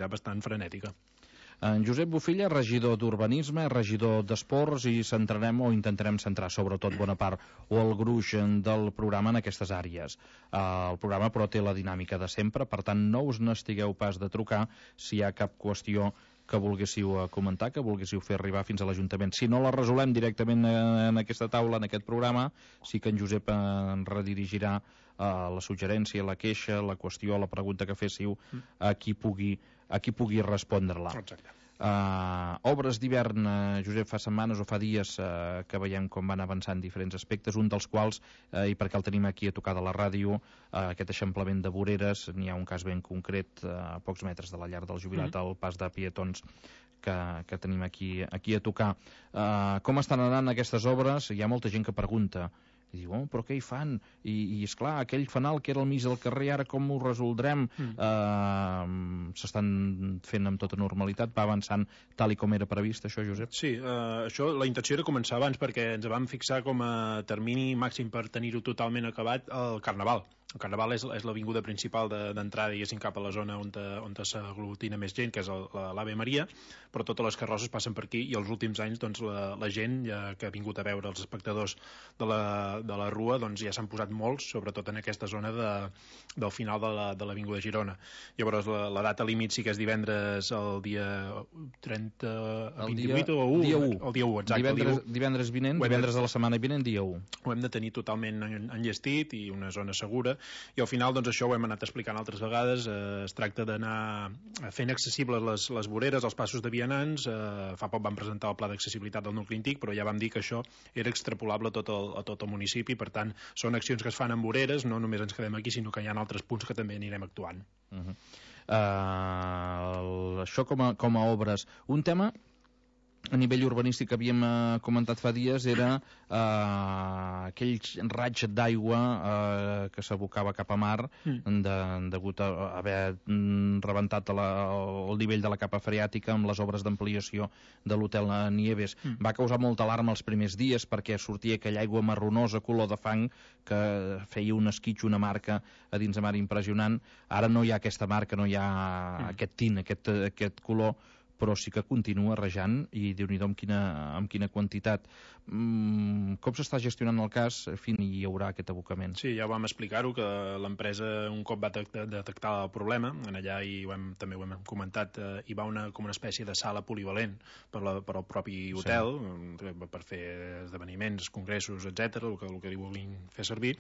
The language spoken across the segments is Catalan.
activitat bastant frenètica. En Josep Bufilla, regidor d'Urbanisme, regidor d'Esports, i centrarem o intentarem centrar sobretot bona part o el gruix del programa en aquestes àrees. El programa però té la dinàmica de sempre, per tant no us n'estigueu pas de trucar si hi ha cap qüestió que volguéssiu comentar, que volguéssiu fer arribar fins a l'Ajuntament. Si no la resolem directament en aquesta taula, en aquest programa, sí que en Josep en redirigirà la suggerència, la queixa, la qüestió, la pregunta que féssiu a qui pugui respondre-la. Exacte. Obres d'hivern, Josep, fa setmanes o fa dies que veiem com van avançant diferents aspectes, un dels quals, i perquè el tenim aquí a tocar de la ràdio, aquest eixamplament de voreres. N'hi ha un cas ben concret a pocs metres de la llar del Jubilat, al pas de Pietons, que tenim aquí a tocar. Com estan anant aquestes obres? Hi ha molta gent que pregunta i diu, però què hi fan? I esclar, aquell fanal que era al mig del carrer, ara com ho resoldrem? S'estan fent amb tota normalitat, va avançant tal i com era previst, això, Josep? Sí, això, la intenció era començar abans, perquè ens vam fixar com a termini màxim per tenir-ho totalment acabat el Carnaval. El Carnaval és l'avinguda principal d'entrada, diguéssim, cap a la zona on s'aglutina més gent, que és l'Ave Maria, però totes les carrosses passen per aquí, i els últims anys doncs, la gent que ha vingut a veure els espectadors de la Rua doncs, ja s'han posat molts, sobretot en aquesta zona del final de l'Avinguda Girona. Llavors la data límit sí que és divendres el dia 30, 28 o 1? Dia 1. El dia 1, exacte. Divendres vinent, divendres de la setmana vinent, dia 1. Ho hem de tenir totalment enllestit i una zona segura, i al final doncs això ho hem anat explicant altres vegades. Es tracta d'anar fent accessibles les voreres, els passos de vianants. Fa poc vam presentar el pla d'accessibilitat del nucli antic, però ja vam dir que això era extrapolable a tot el municipi. Per tant, són accions que es fan amb voreres, no només ens quedem aquí, sinó que hi ha altres punts que també anirem actuant. Això com a obres, un tema a nivell urbanístic que havíem comentat fa dies era aquell raig d'aigua que s'abocava cap a mar degut a haver rebentat el nivell de la capa freàtica amb les obres d'ampliació de l'hotel Nieves. Va causar molta alarma els primers dies perquè sortia aquella aigua marronosa, color de fang, que feia un esquitx, una marca a dins de mar impressionant. Ara no hi ha aquesta marca, no hi ha aquest tint, aquest color, però sí que continua rejant, i Déu-n'hi-do amb quina quantitat. Com s'està gestionant el cas? En fi, hi haurà aquest abocament. Sí, ja vam explicar-ho, que l'empresa un cop va detectar el problema, en allà també ho hem comentat, hi va com una espècie de sala polivalent per al propi hotel, per fer esdeveniments, congressos, etc, el que li vulguin fer servir,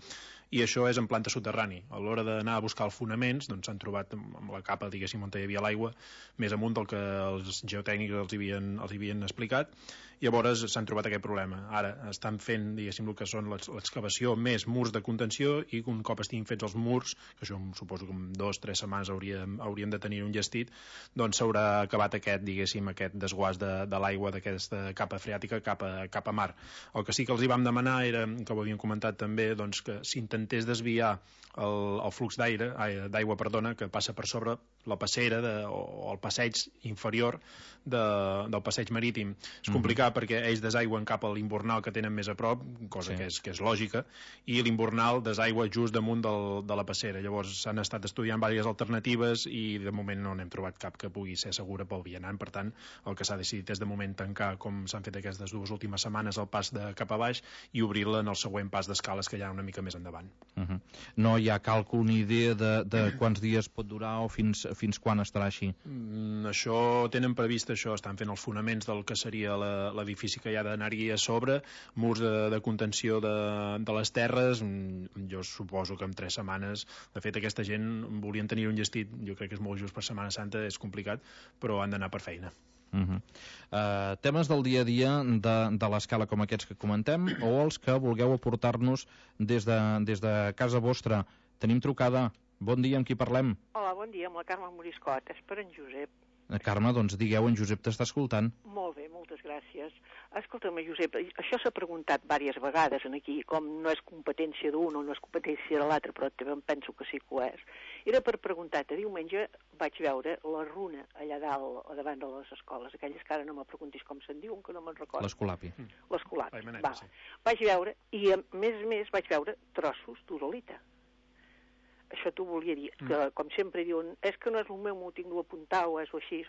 i això és en planta soterrani. A l'hora d'anar a buscar els fonaments, doncs s'han trobat amb la capa, diguéssim, on hi havia l'aigua, més amunt del que els geotècnics els havien explicat. Llavors s'han trobat aquest problema. Ara estan fent, diguéssim, el que són l'excavació més murs de contenció, i un cop estiguin fets els murs, que això suposo que en 2 o 3 setmanes hauríem de tenir un llestit, doncs s'haurà acabat aquest desguàs de l'aigua d'aquesta capa freàtica cap a mar. El que sí que els hi vam demanar era, que ho havíem comentat també, doncs que s'intentés desviar el flux d'aigua que passa per sobre la passera o el passeig inferior del passeig marítim. És complicat perquè ells desaigüen cap a l'imbornal que tenen més a prop, cosa que és lògica, i l'imbornal desaigua just damunt de la passera. Llavors s'han estat estudiant diverses alternatives i de moment no n'hem trobat cap que pugui ser segura pel vianant. Per tant, el que s'ha decidit és de moment tancar, com s'han fet aquestes 2 últimes setmanes, el pas de cap a baix i obrir-la en el següent pas d'escales que hi ha una mica més endavant. No hi ha càlcul ni idea de quants dies pot durar o fins quan estarà així? Això tenen previst, estan fent els fonaments del que seria l'edifici que hi ha d'anar-hi a sobre, murs de contenció de les terres. Jo suposo que en 3 setmanes, de fet aquesta gent volien tenir un llestit, jo crec que és molt just per Setmana Santa, és complicat, però han d'anar per feina. Temes del dia a dia de l'escala com aquests que comentem, o els que vulgueu aportar-nos des de casa vostra. Tenim trucada. Bon dia, amb qui parlem? Hola, bon dia, amb la Carme Moriscot. És per en Josep. Carme, doncs digueu, en Josep t'està escoltant. Molt bé, moltes gràcies. Escolta'm, Josep, això s'ha preguntat diverses vegades aquí, com no és competència d'un o no és competència de l'altre, però també em penso que sí que ho és. Era per preguntar-te, diumenge vaig veure la runa allà dalt, a davant de les escoles, aquelles que ara no me preguntis com se'n diuen, que no me'n recordo. L'Escolapi. L'Escolapi, va. Vaig veure, i a més vaig veure trossos d'uralita. això t'ho volia dir, que com sempre diuen, és que no és el meu, m'ho tinc d'apuntar o és o així,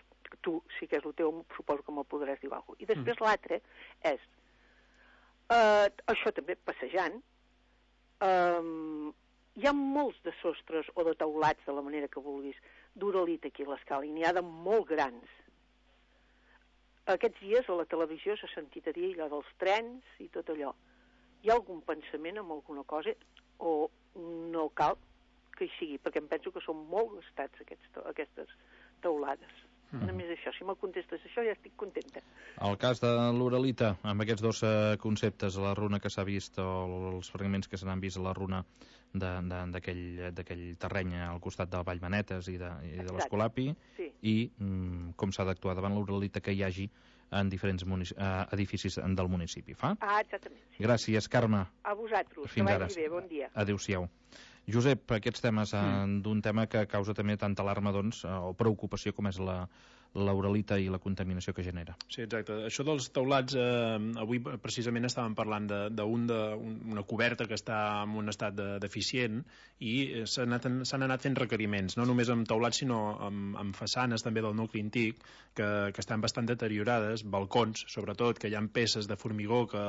tu sí que és el teu, suposo que me'l podràs dir alguna cosa. I després l'altre és, això també passejant, hi ha molts de sostres o de teulats, de la manera que vulguis, d'uralita aquí a l'escala, i n'hi ha de molt grans. Aquests dies a la televisió s'ha sentit a dir allò dels trens i tot allò. Hi ha algun pensament en alguna cosa o no cal que hi sigui? Perquè em penso que són molt gastats aquestes teulades. Només això, si me'l contestes això ja estic contenta. El cas de l'uralita, amb aquests dos conceptes, la runa que s'ha vist o els fragments que se n'han vist a la runa d'aquell terreny al costat de Vallmanetes i de l'Escolapi, sí. I com s'ha d'actuar davant l'uralita que hi hagi en diferents edificis del municipi. Fa? Exactament. Sí. Gràcies, Carme. A vosaltres. Fins que ara. vagi bé, bon dia. Adéu-siau. Josep, aquests temes d'un tema que causa també tanta alarma o preocupació com és l'uralita i la contaminació que genera. Sí, exacte. Això dels teulats, avui precisament estàvem parlant d'una coberta que està en un estat deficient i s'han anat fent requeriments, no només amb teulats sinó amb façanes també del nucli antic que estan bastant deteriorades, balcons sobretot, que hi ha peces de formigó que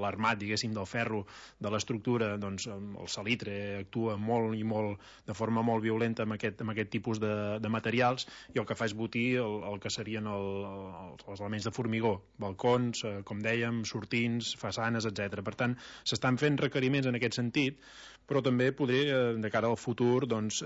l'armat, diguéssim, del ferro de l'estructura, doncs el salitre actua molt i molt de forma molt violenta amb aquest tipus de materials i el que fa és botir el que serien els elements de formigó, balcons, com dèiem, sortints, façanes, etc. Per tant, s'estan fent requeriments en aquest sentit, però també de cara al futur, doncs,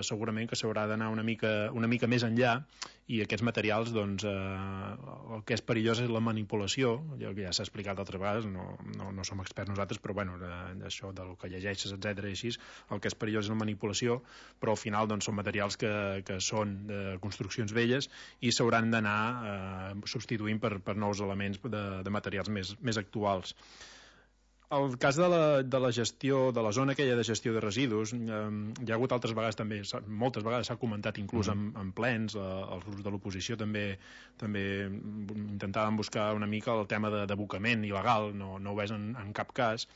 segurament que s'haurà d'anar una mica més enllà i aquests materials, doncs, el que és perillós és la manipulació, ja s'ha explicat altres vegades, no som experts nosaltres, però bueno, això del que llegeixes, etc. i així, el que és perillós és la manipulació, però al final doncs, són materials que són de construccions velles i s'hauran d'anar substituint per nous elements de materials més actuals. El cas de la gestió, de la zona aquella de gestió de residus, hi ha hagut altres vegades també, moltes vegades s'ha comentat inclús en plens, els grups de l'oposició també intentaven buscar una mica el tema d'abocament il·legal, no ho és en cap cas,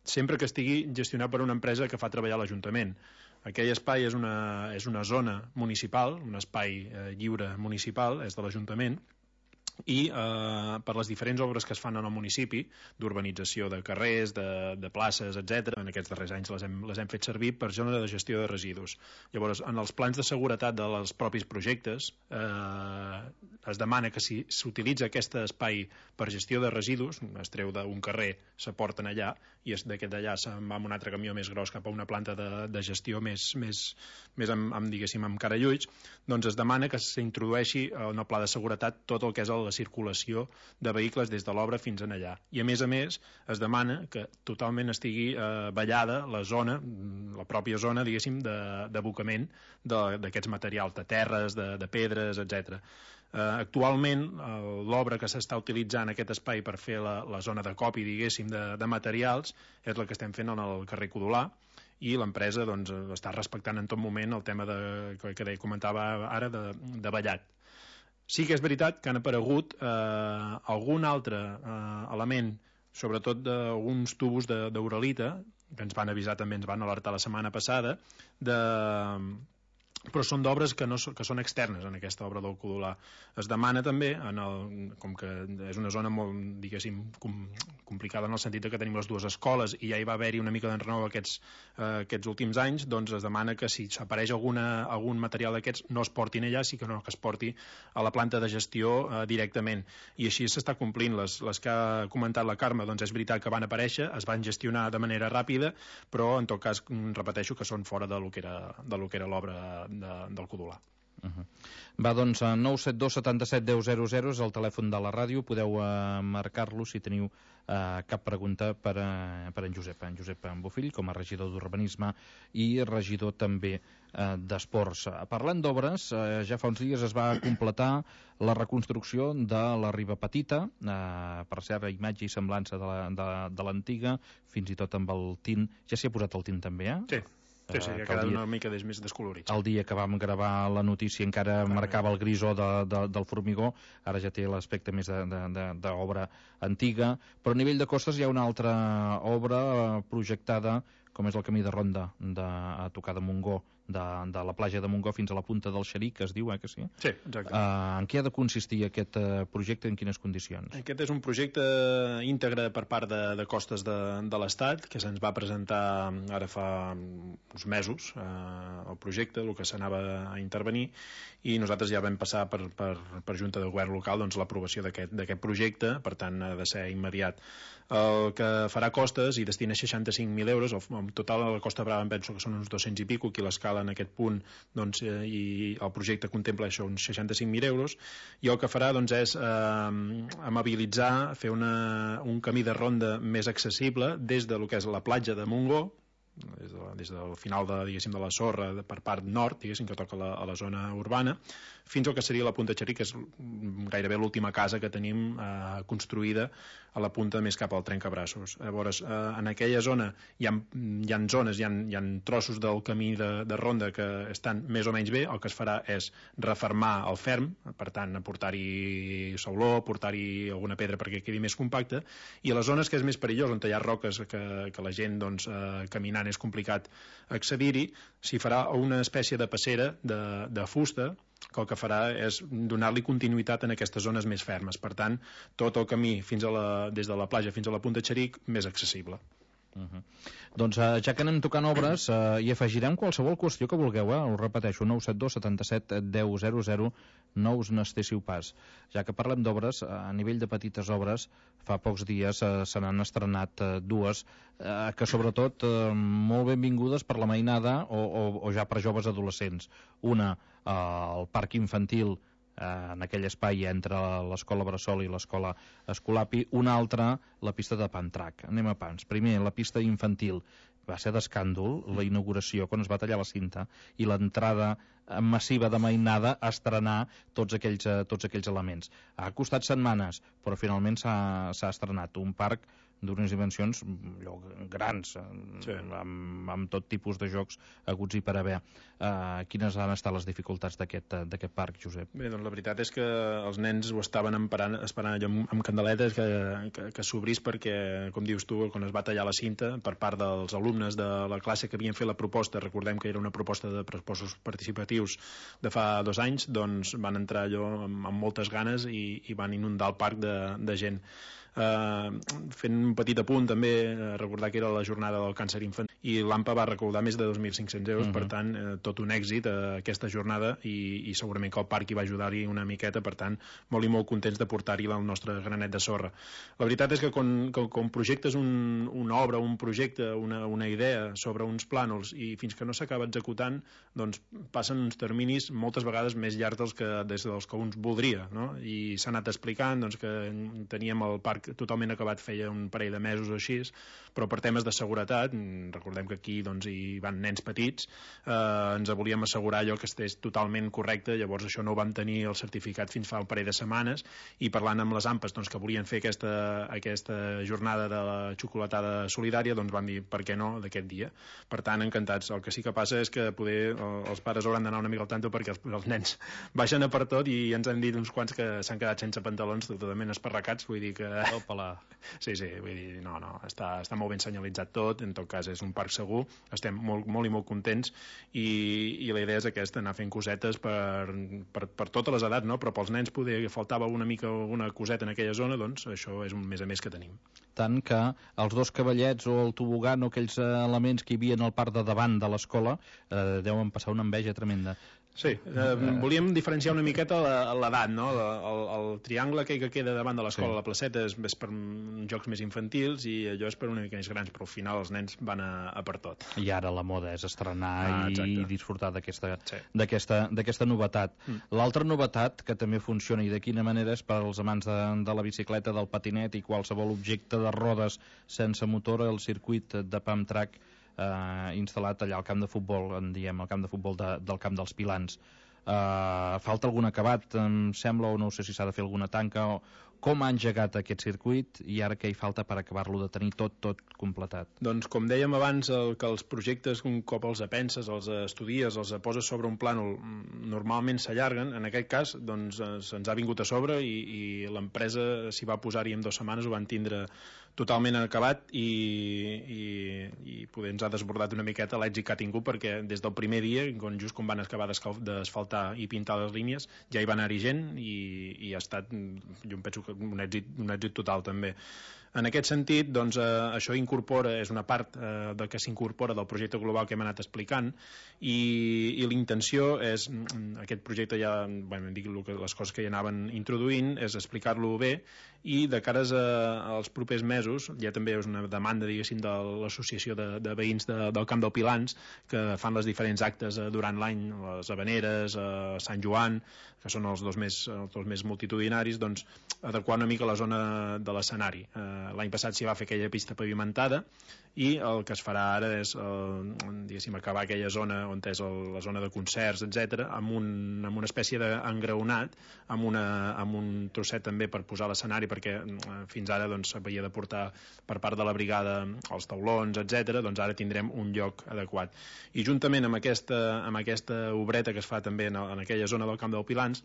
sempre que estigui gestionat per una empresa que fa treballar l'Ajuntament. Aquell espai és una zona municipal, un espai lliure municipal, és de l'Ajuntament, i per les diferents obres que es fan en el municipi, d'urbanització de carrers, de places, etc. En aquests darrers anys les hem fet servir per zona de gestió de residus. Llavors, en els plans de seguretat dels propis projectes es demana que si s'utilitza aquest espai per gestió de residus, es treu d'un carrer, s'aporten allà, i d'aquest d'allà se'n va amb un altre camió més gros cap a una planta de gestió més diguéssim, amb carallulls, doncs es demana que s'introdueixi en el pla de seguretat tot el que és la circulació de vehicles des de l'obra fins en allà. I a més es demana que totalment estigui vallada la zona, la pròpia zona, diguéssim, d'abocament d'aquests materials, de terres, de pedres, etc. Actualment, l'obra que s'està utilitzant aquest espai per fer la zona de copi, diguéssim, de materials, és la que estem fent en el carrer Codolà, i l'empresa doncs, està respectant en tot moment el tema que comentava ara de vallat. Sí que és veritat que han aparegut algun altre element, sobretot d'alguns tubos d'uralita, que ens van avisar també, ens van alertar la setmana passada, però són d'obres que són externes en aquesta obra del Codolà. Es demana també, com que és una zona molt, diguéssim, complicada en el sentit que tenim les dues escoles i ja hi va haver-hi una mica d'enrenou aquests últims anys, doncs es demana que si s'apareix algun material d'aquests no es portin allà, sí que no que es porti a la planta de gestió directament. I així s'està complint. Les que ha comentat la Carme, doncs és veritat que van aparèixer, es van gestionar de manera ràpida, però en tot cas repeteixo que són fora del que era l'obra del Codolà. Va, doncs, 972 77 10 00 és el telèfon de la ràdio, podeu marcar-lo si teniu cap pregunta per en Josep Bofill, com a regidor d'Urbanisme i regidor també d'Esports. Parlant d'obres, ja fa uns dies es va completar la reconstrucció de la Riba Petita, per cert, imatge i semblança de l'antiga, fins i tot amb el tint. Ja s'hi ha posat el tint també, Sí. Sí, ha quedat una mica més descolorit. El dia que vam gravar la notícia encara marcava el grisó del formigó, ara ja té l'aspecte més d'obra antiga, però a nivell de costes hi ha una altra obra projectada, com és el camí de ronda a tocar de Montgó, de la platja de Montgó fins a la punta del Xeric, que es diu, que sí? Sí, exacte. En què ha de consistir aquest projecte, en quines condicions? Aquest és un projecte íntegre per part de Costes de l'Estat, que se'ns va presentar ara fa uns mesos, el projecte, el que s'anava a intervenir, i nosaltres ja vam passar per Junta de Govern Local l'aprovació d'aquest projecte, per tant ha de ser immediat. El que farà Costes i destina 65.000 euros, en total a la Costa Brava em penso que són uns 200 i pico, aquí l'escala en aquest punt, doncs, i el projecte contempla això, uns 65.000 euros, i el que farà doncs, és amabilitzar, fer un camí de ronda més accessible des de lo que és la platja de Montgó, des del final de la sorra per part nord, que toca a la zona urbana, fins al que seria la Punta Xeric, que és gairebé l'última casa que tenim construïda a la punta més cap al Trencabraços. Llavors, en aquella zona hi ha zones, hi ha trossos del camí de ronda que estan més o menys bé. El que es farà és refermar el ferm, per tant, portar-hi sauló, portar-hi alguna pedra perquè quedi més compacte, i a les zones que és més perillós, on hi ha roques que la gent caminant és complicat accedir-hi, s'hi farà una espècie de passera de fusta, que el que farà és donar-li continuïtat en aquestes zones més fermes. Per tant, tot el camí des de la platja fins a la Punta Xeric més accessible. Doncs ja que anem tocant obres, hi afegirem qualsevol qüestió que vulgueu, ho repeteixo, 972 77 10 00, no us n'estéssiu pas. Ja que parlem d'obres, a nivell de petites obres, fa pocs dies se n'han estrenat dues que sobretot molt benvingudes per la mainada o ja per joves adolescents. Una, el parc infantil, en aquell espai entre l'escola Bressol i l'escola Escolapi. Una altra, la pista de Pantrac. Anem a pams. Primer, la pista infantil. Va ser d'escàndol la inauguració quan es va tallar la cinta i l'entrada massiva de mainada a estrenar tots aquells elements. Ha costat setmanes, però finalment s'ha estrenat un parc d'unes dimensions grans, sí, amb tot tipus de jocs haguts i per haver. Quines han estat les dificultats d'aquest parc, Josep? Bé, doncs la veritat és que els nens ho estaven esperant allò amb candeletes que s'obrís, perquè, com dius tu, quan es va tallar la cinta per part dels alumnes de la classe que havien fet la proposta, recordem que era una proposta de pressupostos participatius de fa 2 anys, doncs van entrar allò amb moltes ganes i van inundar el parc de gent. Fent un petit apunt també, recordar que era la jornada del càncer infantil i l'AMPA va recaudar més de 2.500 euros, per tant tot un èxit aquesta jornada, i segurament que el parc hi va ajudar-hi una miqueta, per tant molt i molt contents de portar-hi el nostre granet de sorra. La veritat és que quan projectes una obra, un projecte, una idea sobre uns plànols i fins que no s'acaba executant, doncs passen uns terminis moltes vegades més llargs des dels que uns voldria, no? I s'ha anat explicant doncs, que teníem el parc totalment acabat feia un parell de mesos o així, però per temes de seguretat, recordem que aquí doncs, hi van nens petits, ens volíem assegurar allò que estés totalment correcte, llavors això no ho vam tenir el certificat fins fa un parell de setmanes, i parlant amb les AMPAs doncs, que volien fer aquesta jornada de la xocolatada solidària, doncs van dir per què no d'aquest dia. Per tant, encantats. El que sí que passa és que poder els pares hauran d'anar una mica al tanto perquè els nens baixen a per tot, i ens han dit uns quants que s'han quedat sense pantalons totalment esparracats, vull dir que... Sí, vull dir, no, està molt ben senyalitzat tot, en tot cas és un parc segur, estem molt i molt contents, i la idea és aquesta, anar fent cosetes per totes les edats, no? Però pels nens faltava una mica una coseta en aquella zona, doncs això és un més a més que tenim. Tant que els 2 cavallets o el tobogan o aquells elements que hi havia al parc de davant de l'escola deuen passar una enveja tremenda. Sí, volíem diferenciar una miqueta l'edat, no? El triangle que queda davant de l'escola, la placeta, és per jocs més infantils, i allò és per una mica més grans, però al final els nens van a per tot. I ara la moda és estrenar i disfrutar d'aquesta novetat. L'altra novetat, que també funciona i de quina manera, és per als amants de la bicicleta, del patinet i qualsevol objecte de rodes sense motor, el circuit de Pump Track instal·lat allà al camp de futbol, en diem, el camp de futbol del camp dels Pilans. Falta algun acabat, em sembla, o no sé si s'ha de fer alguna tanca com ha engegat aquest circuit i ara què hi falta per acabar-lo de tenir tot completat? Doncs com dèiem abans, que els projectes un cop els penses, els estudies, els poses sobre un plànol, normalment s'allarguen. En aquest cas doncs, se'ns ha vingut a sobre i l'empresa s'hi va posar-hi en 2 setmanes, ho van tindre totalment acabat i poder ens ha desbordat una miqueta l'èxit que ha tingut, perquè des del primer dia, just quan van acabar d'asfaltar i pintar les línies, ja hi va anar-hi gent i ha estat, jo penso que un èxit total també. En aquest sentit, doncs, això és una part que s'incorpora del projecte global que hem anat explicant i l'intenció és, aquest projecte ja, dic les coses que hi anaven introduint, és explicar-lo bé i de cares als propers mesos, ja també és una demanda, diguéssim, de l'associació de veïns del Camp del Pilans, que fan les diferents actes durant l'any, les Havaneres, Sant Joan, que són els dos més multitudinaris, doncs adequar una mica la zona de l'escenari. L'any passat s'hi va fer aquella pista pavimentada i el que es farà ara és diguéssim, acabar aquella zona on és la zona de concerts, etc, amb una espècie d'engraonat, amb un trosset també per posar l'escenari, perquè fins ara doncs, s'havia de portar per part de la brigada els taulons, etc. Doncs ara tindrem un lloc adequat. I juntament amb aquesta obreta que es fa també en aquella zona del Camp del Pilans,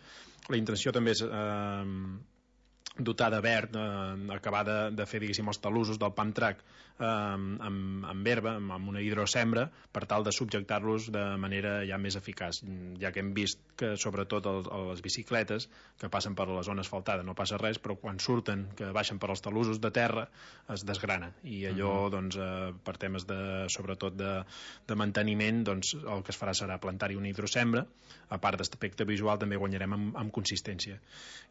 la intenció també és dotar de verd, acabar de fer, diguéssim, els talussos del pump track amb herba, amb una hidrosembra, per tal de subjectar-los de manera ja més eficaç, ja que hem vist que sobretot les bicicletes que passen per la zona asfaltada no passa res, però quan surten, que baixen per els talussos de terra, es desgrana, i allò doncs, per temes sobretot de manteniment, doncs el que es farà serà plantar-hi una hidrosembra. A part d'aspecte visual també guanyarem amb consistència,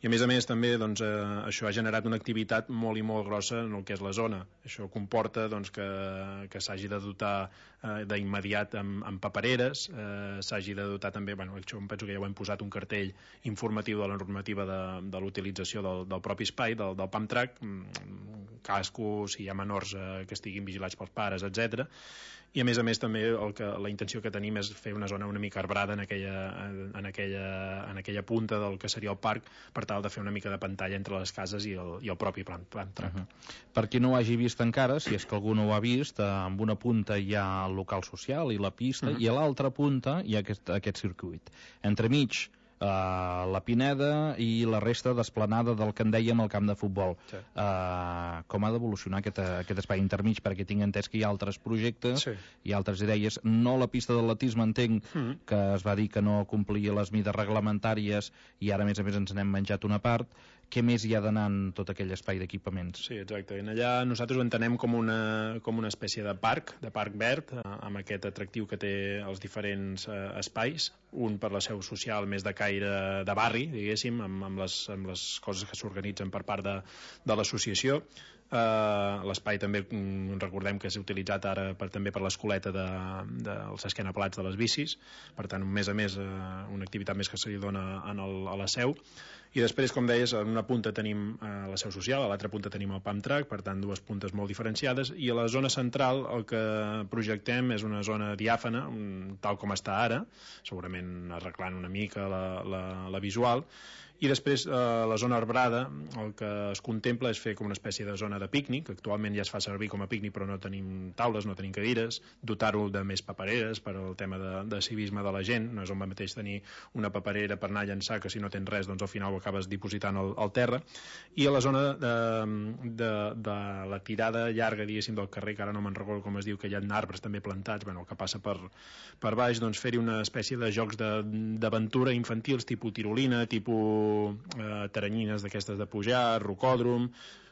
i a més també doncs, això ha generat una activitat molt i molt grossa en el que és la zona. Això comporta doncs, que s'hagi de dotar d'immediat amb papereres, s'hagi de dotar també, això em penso que ja ho hem posat, un cartell informatiu de la normativa de l'utilització del propi espai, del pump track, cascos, si hi ha menors que estiguin vigilats pels pares, etc. I a més també la intenció que tenim és fer una zona una mica arbrada en aquella punta del que seria el parc, per tal de fer una mica de pantalla entre les cases i el propi pump track. Per qui no ho hagi vist encara, si és que algú no ho ha vist, amb una punta hi ha el local social i la pista, i a l'altra punta hi ha aquest circuit. Entremig la Pineda i la resta d'esplanada del que en dèiem el camp de futbol. Sí. Com ha d'evolucionar aquest espai intermig? Perquè tinc entès que hi ha altres projectes i altres idees. No la pista d'atletisme, entenc que es va dir que no complia les mides reglamentàries i ara a més ens n'hem menjat una part. Què més hi ha d'anar en tot aquell espai d'equipaments? Sí, exacte. En allà nosaltres ho entenem com una espècie de parc verd, amb aquest atractiu que té els diferents espais, un per la seu social més de caire de barri, diguéssim, amb les coses que s'organitzen per part de l'associació. L'espai també recordem que és utilitzat ara també per l'escoleta dels esquenaplats de les bicis, per tant, més a més, una activitat més que se li dona a la seu. I després, com deies, en una punta tenim la seu social, a l'altra punta tenim el pump track, per tant, dues puntes molt diferenciades, i a la zona central el que projectem és una zona diàfana, tal com està ara, segurament arreglant una mica la visual, i després la zona arbrada el que es contempla és fer com una espècie de zona de pícnic. Actualment ja es fa servir com a pícnic, però no tenim taules, no tenim cadires, dotar-ho de més papereres per al tema de civisme de la gent. No és el mateix tenir una paperera per anar a llançar, que si no tens res doncs al final ho acabes dipositant al terra. I a la zona de la tirada llarga, diguéssim, del carrer, que ara no me'n recordo com es diu, que hi ha arbres també plantats, el que passa per baix, doncs fer-hi una espècie de jocs d'aventura infantils, tipus tirolina, tipus teranyines d'aquestes de pujar, rocòdrom,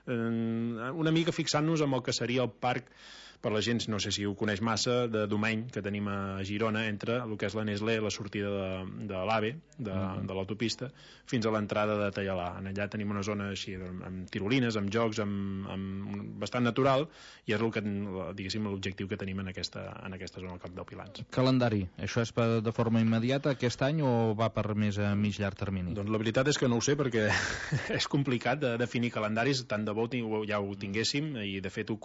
una mica fixant-nos en el que seria el parc, per la gent, no sé si ho coneix massa, de Domeny, que tenim a Girona, entre el que és la Nestlé, la sortida de l'AVE, de l'autopista, fins a l'entrada de Tallalà. Allà tenim una zona així, amb tirolines, amb jocs, bastant natural, i és diguéssim l'objectiu que tenim en aquesta zona del Camp del Pilans. Calendari, això és de forma immediata aquest any o va per més a mig llarg termini? Doncs la veritat és que no ho sé, perquè és complicat de definir calendaris, tant de bo ja ho tinguéssim, i de fet ho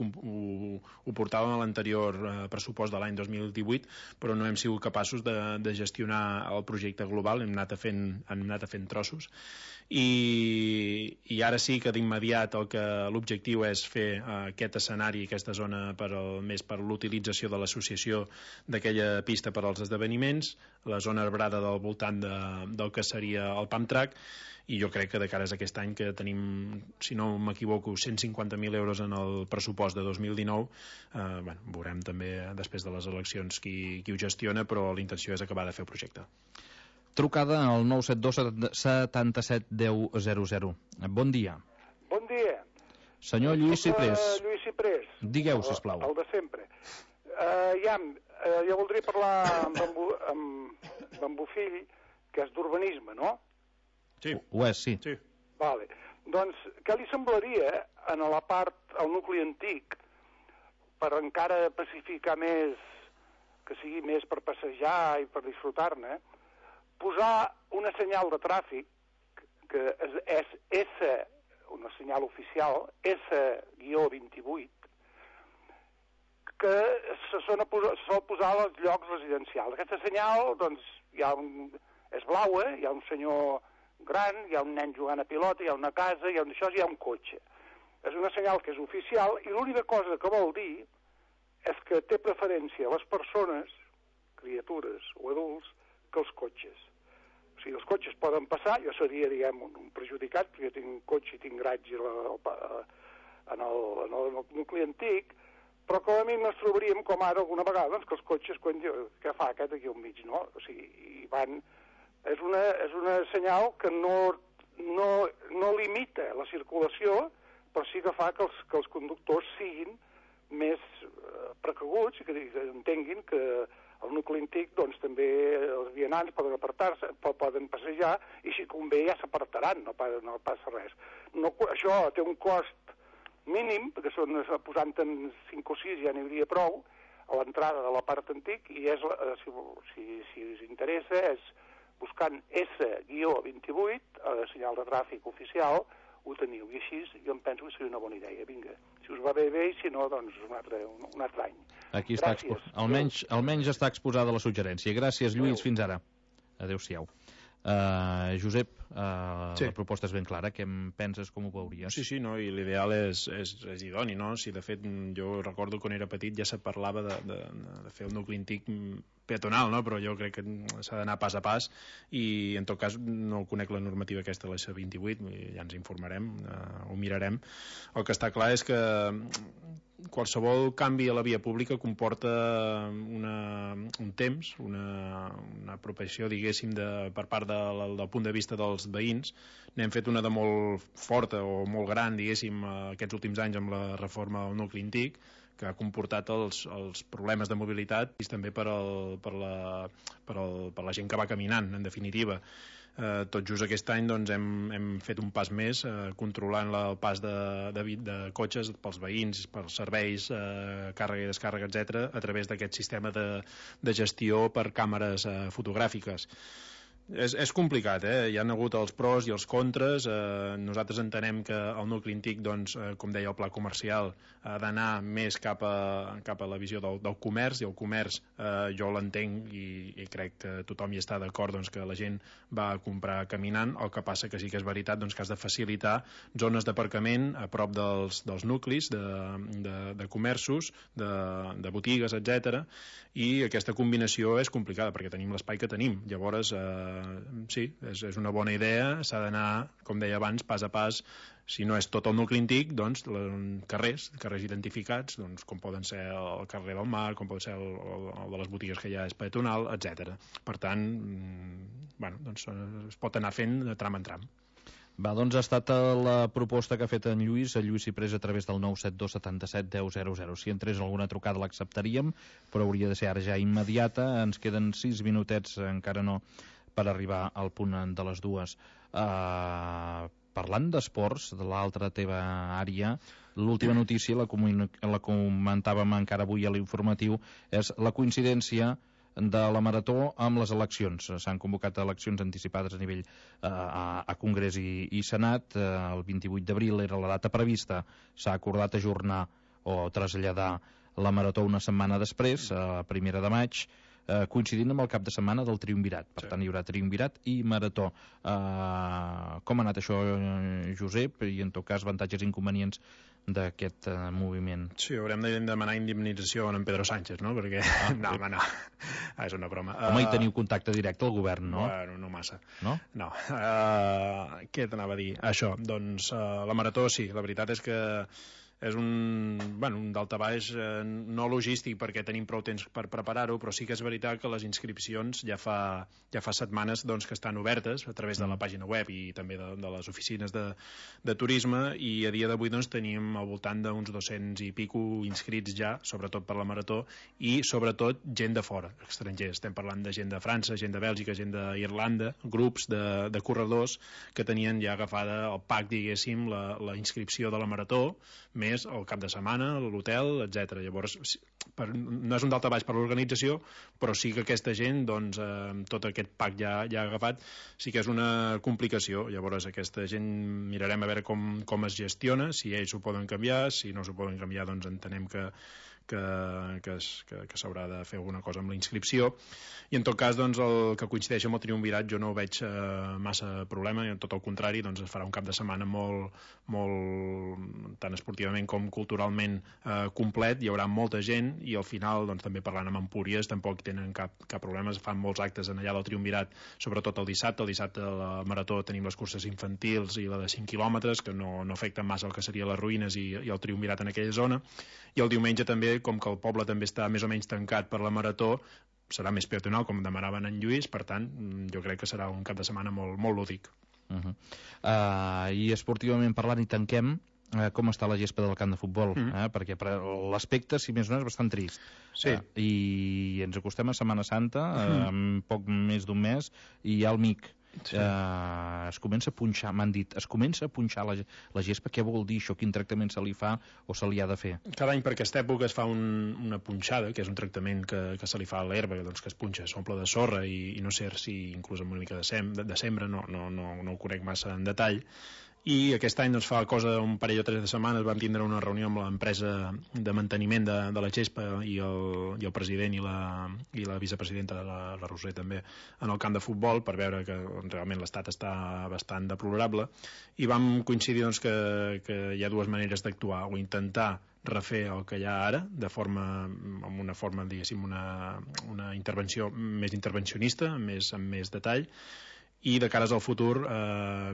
portàvem a l'anterior pressupost de l'any 2018, però no hem sigut capaços de gestionar el projecte global, hem anat fent trossos, i ara sí que d'immediat l'objectiu és fer aquest escenari, aquesta zona més per l'utilització de l'associació d'aquella pista per als esdeveniments, la zona arbrada del voltant del que seria el pump track, i jo crec que de cares a aquest any, que tenim, si no m'equivoco, 150.000 euros en el pressupost de 2019, veurem també després de les eleccions qui ho gestiona, però la intenció és acabar de fer el projecte. Trucada al 972 77 10 00. Bon dia. Bon dia. Senyor Lluís Ciprés. Lluís Ciprés. Digueu, sisplau. El de sempre. Jo voldria parlar amb en Bofill, que és d'urbanisme, no? Sí. Ho és, sí. Vale. Doncs, què li semblaria en la part, al nucli antic, per encara pacificar més, que sigui més per passejar i per disfrutar-ne, posar una senyal de tràfic, que és S, una senyal oficial, S-28, que se sol posar als llocs residencials. Aquesta senyal, doncs, és blaua, hi ha un senyor gran, hi ha un nen jugant a pilota, hi ha una casa, hi ha un cotxe. És una senyal que és oficial, i l'única cosa que vol dir és que té preferència a les persones, criatures o adults, que els cotxes. O sigui, els cotxes poden passar, jo seria, diguem, un perjudicat, perquè jo tinc un cotxe i tinc garatge en el nucli antic, però com a mínim ens trobaríem, com ara alguna vegada, doncs, que els cotxes, què fa aquest aquí al mig, no? O sigui, hi van... És una senyal que no limita la circulació, però sí que fa que els conductors siguin més precaguts i que entenguin que al nucli antic doncs, també els vianants poden apartar-se, poden passejar, i si convé ja s'apartaran, no passa res. Això té un cost mínim, perquè posant-en 5 o 6 ja n'hi hauria prou, a l'entrada de la part antic, i si us interessa, és buscant S-28, senyal de tràfic oficial, ho teniu, i així jo em penso que seria una bona idea. Vinga, si us va bé, i si no, doncs un altre any. Aquí està almenys està exposada la suggerència. Gràcies, Lluís, fins ara. Adéu-siau. Josep, la proposta és ben clara. Què en penses, com ho veuries? Sí, no, i l'ideal és idoni, no? Si de fet jo recordo quan era petit ja se parlava de fer el nucli antic peatonal, no? Però jo crec que s'ha d'anar pas a pas, i en tot cas no conec la normativa aquesta de la C28, ja ens informarem, ho mirarem. El que està clar és que qualsevol canvi a la via pública comporta un temps, una apropiació, diguéssim, per part del punt de vista dels veïns. N'hem fet una de molt forta o molt gran, diguéssim, aquests últims anys amb la reforma del nucli antic, que ha comportat els problemes de mobilitat, i també per la gent que va caminant, en definitiva. Tot just aquest any doncs, hem fet un pas més, controlant el pas de cotxes pels veïns, pels serveis, càrrega i descàrrega, etc., a través d'aquest sistema de gestió per càmeres fotogràfiques. És complicat, Hi ha hagut els pros i els contres. Nosaltres entenem que el nucli antic, doncs, com deia el pla comercial, ha d'anar més cap a la visió del comerç, i el comerç jo l'entenc i crec que tothom hi està d'acord, doncs, que la gent va a comprar caminant. El que passa que sí que és veritat, doncs, que has de facilitar zones d'aparcament a prop dels nuclis de comerços, de botigues, etc. I aquesta combinació és complicada perquè tenim l'espai que tenim. Llavors sí, és una bona idea, s'ha d'anar, com deia abans, pas a pas. Si no és tot el nucli antic, doncs carrers identificats, doncs, com poden ser el carrer del Mar, com pot ser el de les botigues que ja és peatonal, etc. Per tant, doncs, es pot anar fent de tram en tram. Va, doncs ha estat la proposta que ha fet en Lluís Ciprés a través del 972 77 10 00. Si entrés alguna trucada l'acceptaríem, però hauria de ser ara ja immediata. Ens queden 6 minutets, encara no, per arribar al punt de les 2. Parlant d'esports, de l'altra teva àrea, l'última notícia, la comentàvem encara avui a l'informatiu, és la coincidència de la marató amb les eleccions. S'han convocat eleccions anticipades a nivell a Congrés i Senat. El 28 d'abril era la data prevista. S'ha acordat ajornar o traslladar la Marató una setmana després, a 1 de maig, coincidint amb el cap de setmana del Triumvirat. Per tant, hi haurà Triumvirat i Marató. Com ha anat això, Josep? I, en tot cas, avantatges i inconvenients d'aquest moviment? Sí, haurem de demanar indemnització a en Pedro Sánchez, no? Perquè... No, home, no. És una broma. Home, hi teniu contacte directe al govern, no? Bueno, no massa. No? No. Què t'anava a dir? Això, doncs, la Marató sí, la veritat és que és un daltabaix no logístic perquè tenim prou temps per preparar-ho, però sí que és veritat que les inscripcions ja fa setmanes doncs, que estan obertes a través de la pàgina web i també de les oficines de turisme, i a dia d'avui doncs, tenim al voltant d'uns 200 i pico inscrits ja, sobretot per la Marató, i sobretot gent de fora, estrangers. Estem parlant de gent de França, gent de Bèlgica, gent d'Irlanda, grups de corredors que tenien ja agafada el pack, diguéssim, la inscripció de la Marató, més el cap de setmana, l'hotel, etc. Llavors, no és un daltabaix per l'organització, però sí que aquesta gent, doncs, tot aquest pack ja ha agafat, sí que és una complicació. Llavors, aquesta gent mirarem a veure com es gestiona, si ells ho poden canviar, si no s'ho poden canviar, doncs entenem que s'haurà de fer alguna cosa amb la inscripció, i en tot cas doncs, el que coincideix amb el Triumvirat jo no veig massa problema, i en tot el contrari doncs, es farà un cap de setmana molt tant esportivament com culturalment complet, hi haurà molta gent, i al final doncs, també parlant amb Empúries tampoc tenen cap problema, es fan molts actes en allà del Triumvirat, sobretot el dissabte a la Marató tenim les curses infantils i la de 5 quilòmetres que no afecten massa el que seria les ruïnes i el Triumvirat en aquella zona, i el diumenge també, com que el poble també està més o menys tancat per la Marató, serà més peatonal, com demanaven en Lluís, per tant, jo crec que serà un cap de setmana molt lúdic. I esportivament parlant, i tanquem, com està la gespa del camp de futbol? Perquè l'aspecte, si més no, és bastant trist. Sí. I ens acostem a Setmana Santa, poc més d'un mes, i hi ha el MIC. Sí. Es comença a punxar, m'han dit, es comença a punxar la gespa. Què vol dir això? Quin tractament se li fa o se li ha de fer? Cada any per aquesta època es fa una punxada, que és un tractament que se li fa a l'herba, doncs que es punxa, s'omple de sorra i no sé si inclús amb una mica de sembra, no ho conec massa en detall. I aquest any, doncs, fa cosa un parell o 3 de setmanes vam tindre una reunió amb l'empresa de manteniment de la gespa i el president i la vicepresidenta, la Roser també, en el camp de futbol, per veure que realment l'estat està bastant deplorable, i vam coincidir doncs, que hi ha dues maneres d'actuar, o intentar refer el que hi ha ara amb una forma, diguéssim, una intervenció més intervencionista, amb més detall, i de cares al futur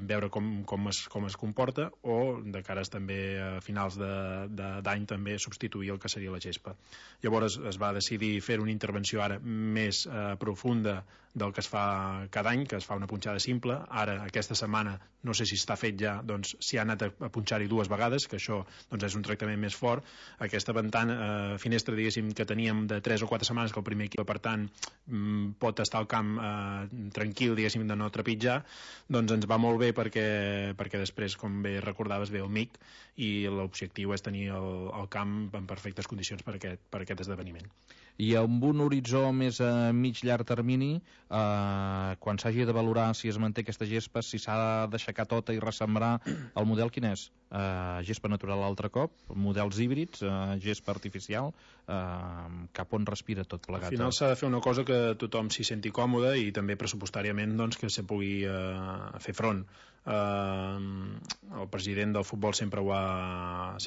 veure com es comporta, o de cares també a finals d'any també substituir el que seria la gespa. Llavors es va decidir fer una intervenció ara més profunda del que es fa cada any, que es fa una punxada simple. Ara, aquesta setmana, no sé si està fet ja, doncs s'hi ha anat a punxar-hi 2 vegades, que això doncs, és un tractament més fort. Aquesta finestra, diguéssim, que teníem de 3 o 4 setmanes, que el primer equip, per tant, pot estar al camp tranquil, diguéssim, de no trepitjar, doncs ens va molt bé perquè després, com bé recordaves, ve el MIC, i l'objectiu és tenir el camp en perfectes condicions per aquest esdeveniment. I amb un horitzó més a mig-llarg termini, quan s'hagi de valorar si es manté aquesta gespa, si s'ha d'aixecar tota i ressembrar, el model quin és? Gespa natural altre cop, models híbrids, gespa artificial, cap on respira tot plegat? Al final s'ha de fer una cosa que tothom s'hi senti còmode i també pressupostàriament doncs, que se pugui fer front. El president del futbol sempre ho ha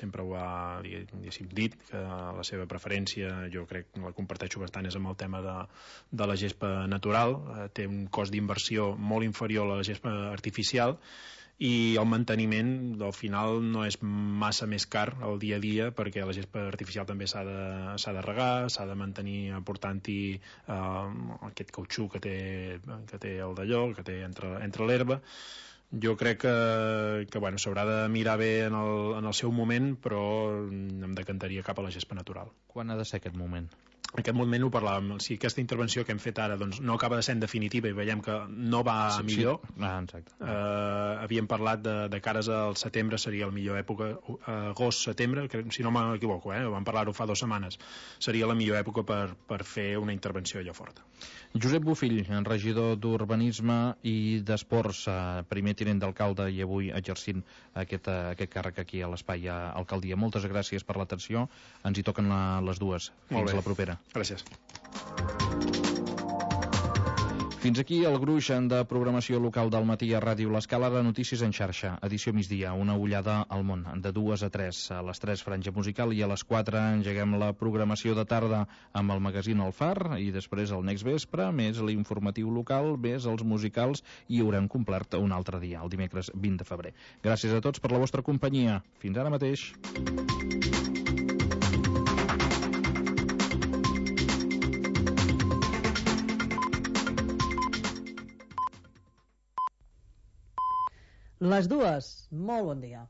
dit, que la seva preferència, jo crec que la comparteixo bastant, és amb el tema de la gespa natural. Té un cost d'inversió molt inferior a la gespa artificial, i el manteniment al final no és massa més car el dia a dia, perquè la gespa artificial també s'ha de regar, s'ha de mantenir aportant-hi aquest cautxú que té el d'allò, que té entre l'herba. Jo crec que bueno, s'haurà de mirar bé en el seu moment, però em decantaria cap a la gespa natural. Quan ha de ser aquest moment? en aquest moment ho parlàvem, si aquesta intervenció que hem fet ara doncs, no acaba de ser en definitiva i veiem que no va millor, havíem parlat de cares al setembre seria la millor època, agost-setembre, si no m'equivoco, vam parlar-ho fa 2 setmanes, seria la millor època per fer una intervenció allò forta. Josep Bofill, regidor d'Urbanisme i d'Esports, primer tinent d'alcalde i avui exercint aquest càrrec aquí a l'Espai Alcaldia. Moltes gràcies per l'atenció, ens hi toquen les dues. Fins a la propera. Gràcies. Fins aquí el gruix de programació local del matí a Ràdio L'Escala de Notícies en xarxa, edició migdia, una ullada al món, de 2 a 3, a les 3 franja musical i a les 4 engeguem la programació de tarda amb el magazín El Far i després el next vespre, més l'informatiu local, més els musicals i haurem complert un altre dia, el dimecres 20 de febrer. Gràcies a tots per la vostra companyia. Fins ara mateix. Les dues, molt bon dia.